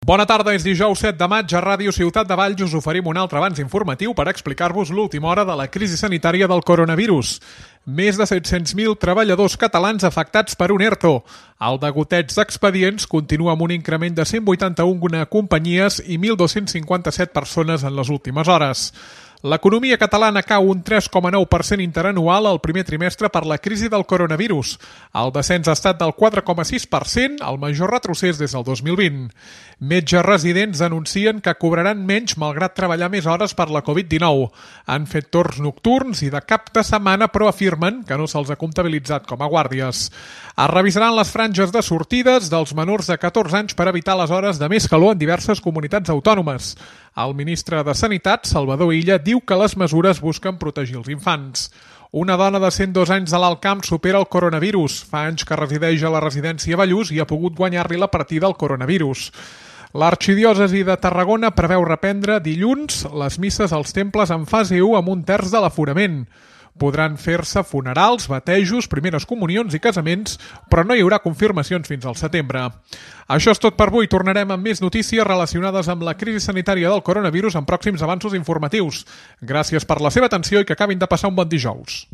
Bona tarda, és dijous 7 de maig. A Ràdio Ciutat de Valls us oferim un altre avanç informatiu per explicar-vos l'última hora de la crisi sanitària del coronavirus. Més de 700.000 treballadors catalans afectats per un ERTO. El degoteig d'expedients continua amb un increment de 181 companyies i 1.257 persones en les últimes hores. L'economia catalana cau un 3,9% interanual al primer trimestre per la crisi del coronavirus. El descens ha estat del 4,6%, el major retrocés des del 2020. Metges residents denuncien que cobraran menys malgrat treballar més hores per la Covid-19. Han fet torns nocturns i de cap de setmana, però afirmen que no se'ls ha comptabilitzat com a guàrdies. Es revisaran les franges de sortides dels menors de 14 anys per evitar les hores de més calor en diverses comunitats autònomes. El ministre de Sanitat, Salvador Illa, diu que les mesures busquen protegir els infants. Una dona de 102 anys de l'Alt Camp supera el coronavirus. Fa anys que resideix a la residència Ballús i ha pogut guanyar-li la partida al coronavirus. L'arxidiòcesi de Tarragona preveu reprendre dilluns les misses als temples en fase 1 amb un terç de l'aforament. Podran fer-se funerals, batejos, primeres comunions i casaments, però no hi haurà confirmacions fins al setembre. Això és tot per avui. Tornarem amb més notícies relacionades amb la crisi sanitària del coronavirus en pròxims avanços informatius. Gràcies per la seva atenció i que acabin de passar un bon dijous.